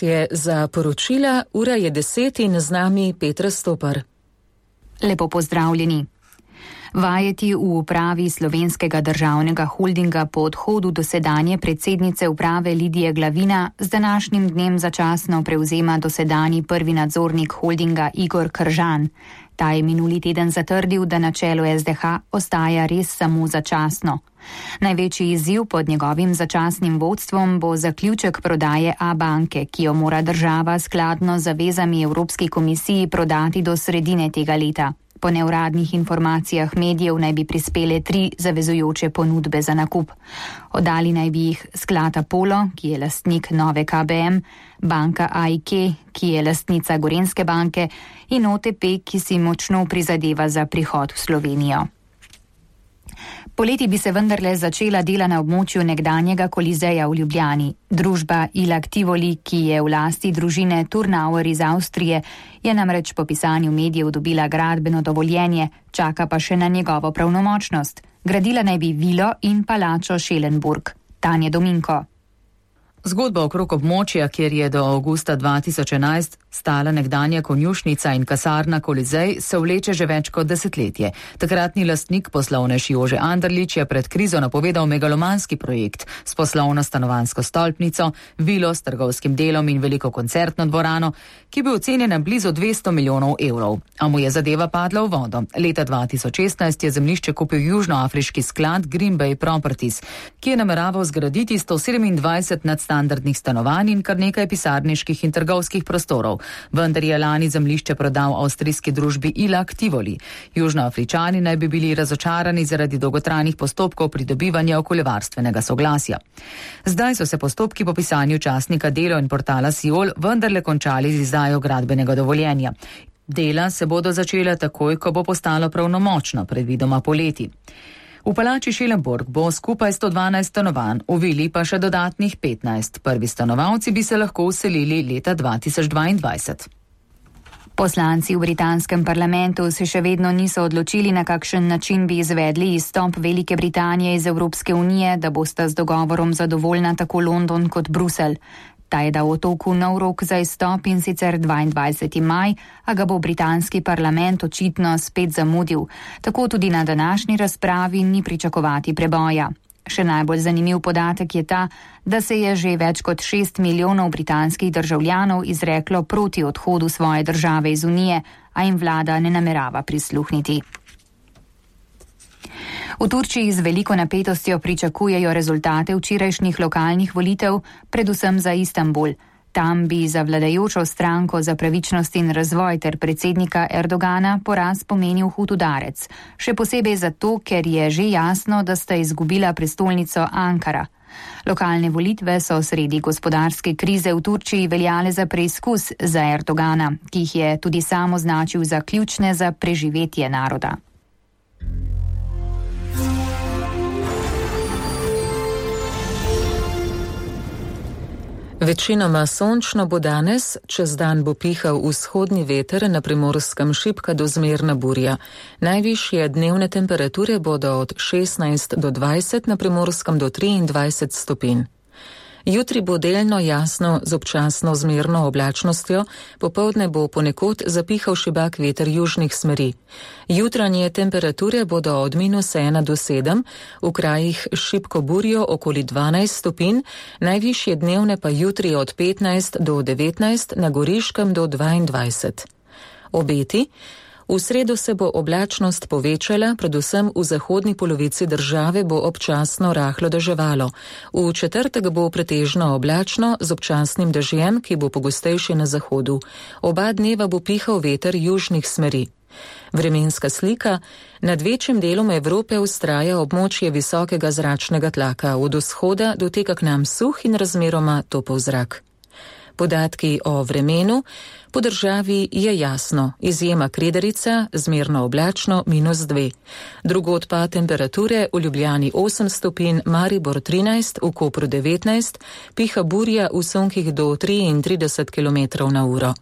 Je za poročila, ura je 10 in z nami Petra Stopar. Lepo pozdravljeni. Vajeti v upravi Slovenskega državnega holdinga po odhodu dosedanje predsednice uprave Lidije Glavina z današnjim dnem začasno prevzema dosedanji prvi nadzornik holdinga Igor Kržan. Ta je minuli teden zatrdil, da na čelu SDH ostaja res samo začasno. Največji izziv pod njegovim začasnim vodstvom bo zaključek prodaje Abanke, ki jo mora država skladno z zavezami Evropski komisiji prodati do sredine tega leta. Po neuradnih informacijah medijev naj bi prispele 3 zavezujoče ponudbe za nakup. Oddali naj bi jih sklad Apollo, ki je lastnik nove KBM, banka AIK, ki je lastnica Gorenjske banke, in OTP, ki si močno prizadeva za prihod v Slovenijo. Poleti bi se vendarle začela dela na območju nekdanjega Kolizeja v Ljubljani. Družba Ilag Tivoli, ki je v lasti družine Turnauer iz Avstrije, je namreč po pisanju medijev dobila gradbeno dovoljenje, čaka pa še na njegovo pravnomočnost. Gradila naj bi vilo in palačo Schellenburg. Tanja Dominko. Zgodba okrog območja, kjer je do avgusta 2011 stala nekdanja konjušnica in kasarna Kolizej, se vleče že več kot desetletje. Takratni lastnik poslovnež Jože Anderlič je pred krizo napovedal megalomanski projekt s poslovno stanovanjsko stolpnico, vilo s trgovskim delom in veliko koncertno dvorano, ki bi ocenjena blizu 200 milijonov evrov. A mu je zadeva padla v vodo. Leta 2016 je zemljišče kupil južnoafriški sklad Green Bay Properties, ki je nameraval zgraditi 127 nadstandardnih stanovanj in kar nekaj pisarniških in trgovskih prostorov. Vendar je lani zemljišče prodal avstrijski družbi Ilag Tivoli. Južnoafričani naj bi bili razočarani zaradi dolgotrajnih postopkov pridobivanja okoljevarstvenega soglasja. Zdaj so se postopki po pisanju časnika Delo in portala Siol vendarle končali z izdajo gradbenega dovoljenja. Dela se bodo začela takoj, ko bo postalo pravnomočno, predvidoma poleti. V palači Schellenburg bo skupaj 112 stanovanj, v vili pa še dodatnih 15. Prvi stanovalci bi se lahko vselili leta 2022. Poslanci v britanskem parlamentu se še vedno niso odločili, na kakšen način bi izvedli izstop Velike Britanije iz Evropske unije, da bosta z dogovorom zadovoljna tako London kot Bruselj. Ta je dal otoku nov rok za izstop in sicer 22. maj, a ga bo britanski parlament očitno spet zamudil. Tako tudi na današnji razpravi ni pričakovati preboja. Še najbolj zanimiv podatek je ta, da se je že več kot 6 milijonov britanskih državljanov izreklo proti odhodu svoje države iz Unije, a jim vlada ne namerava prisluhniti. V Turčiji z veliko napetostjo pričakujejo rezultate včerajšnjih lokalnih volitev, predvsem za Istanbul. Tam bi za vladajočo stranko za pravičnost in razvoj ter predsednika Erdogana poraz pomenil hud udarec. Še posebej zato, ker je že jasno, da sta izgubila prestolnico Ankara. Lokalne volitve so sredi gospodarske krize v Turčiji veljale za preizkus za Erdogana, ki jih je tudi sam označil za ključne za preživetje naroda. Večinoma sončno bo danes, čez dan bo pihal vzhodni veter, na Primorskem šibka do zmerna burja. Najvišje dnevne temperature bodo od 16 do 20, na Primorskem do 23 stopinj. Jutri bo delno jasno z občasno zmerno oblačnostjo, popoldne bo ponekod zapihal šibak veter južnih smeri. Jutranje temperature bodo od -1 do 7, v krajih s šibko burjo okoli 12 stopinj, najvišje dnevne pa jutri od 15 do 19, na Goriškem do 22. Obeti. V sredo se bo oblačnost povečala, predvsem v zahodni polovici države bo občasno rahlo deževalo. V četrtek bo pretežno oblačno z občasnim dežjem, ki bo pogostejši na zahodu. Oba dneva bo pihal veter južnih smeri. Vremenska slika. Nad večjim delom Evrope vztraja območje visokega zračnega tlaka. Od vzhoda doteka k nam suh in razmeroma topel zrak. Podatki o vremenu. Po državi je jasno, izjema Krederica, zmerno oblačno, -2. Drugod pa temperature, v Ljubljani 8 stopinj, Maribor 13, v Kopru 19, piha burja v sunkih do 33 km/h.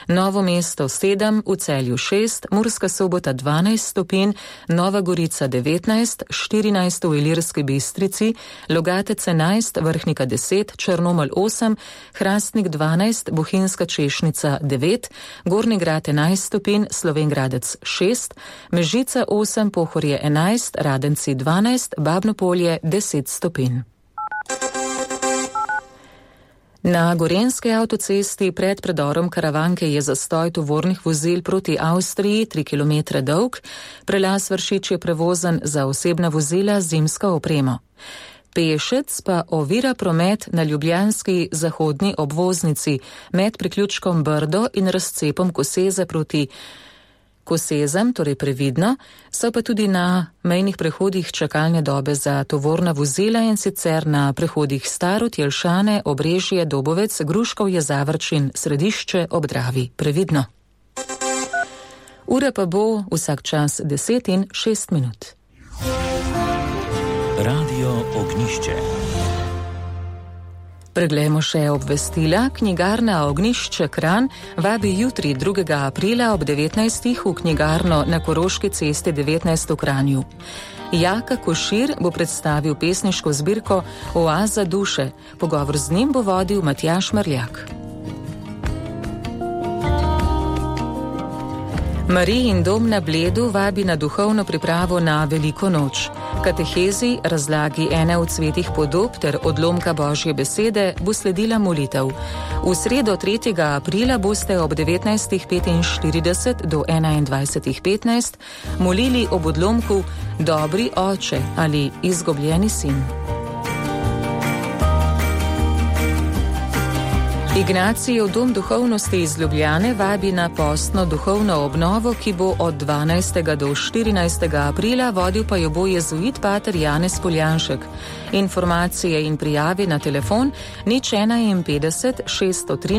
Novo Mesto 7, v Celju 6, Murska Sobota 12 stopinj, Nova Gorica 19, 14 v Ilirski Bistrici, Logatec 11, Vrhnika 10, Črnomelj 8, Hrastnik 12, Bohinjska Češnica 9, Gornji Grad 11 stopinj, Slovenj Gradec 6, Mežica 8, Pohorje 11, Radenci 12, Babno Polje 10 stopinj. Na Gorenjski avtocesti pred predorom Karavanke je zastoj tovornih vozil proti Avstriji 3 km dolg, prelaz Vršič je prevozen za osebna vozila z zimsko opremo. Pešec pa ovira promet na ljubljanski zahodni obvoznici med priključkom Brdo in razcepom Koseze proti Kosezem, torej previdno, so pa tudi na mejnih prehodih čakalne dobe za tovorna vozila in sicer na prehodih Starod, Jelšane, Obrežje, Dobovec, Gruškovje, Zavrč in Središče ob Dravi. Previdno. Ura pa bo vsak čas 10:06. Radio Ognjišče. Preglejmo še obvestila. Knjigarna Ognjišče Kranj vabi jutri 2. aprila ob 19. v knjigarno na Koroški cesti 19 v Kranju. Jaka Košir bo predstavil pesniško zbirko Oaza duše. Pogovor z njim bo vodil Matjaž Marljak. Marijin dom na Bledu vabi na duhovno pripravo na Veliko noč. Katehezi, razlagi ene od svetih podob ter odlomka Božje besede bo sledila molitev. V sredo 3. aprila boste ob 19:45 do 21:15 molili ob odlomku Dobri oče ali Izgubljeni sin. Ignacijev dom duhovnosti iz Ljubljane vabi na postno duhovno obnovo, ki bo od 12. do 14. aprila, vodil pa jo bo jezuit pater Janez Poljanšek. Informacije in prijave na telefon 051 613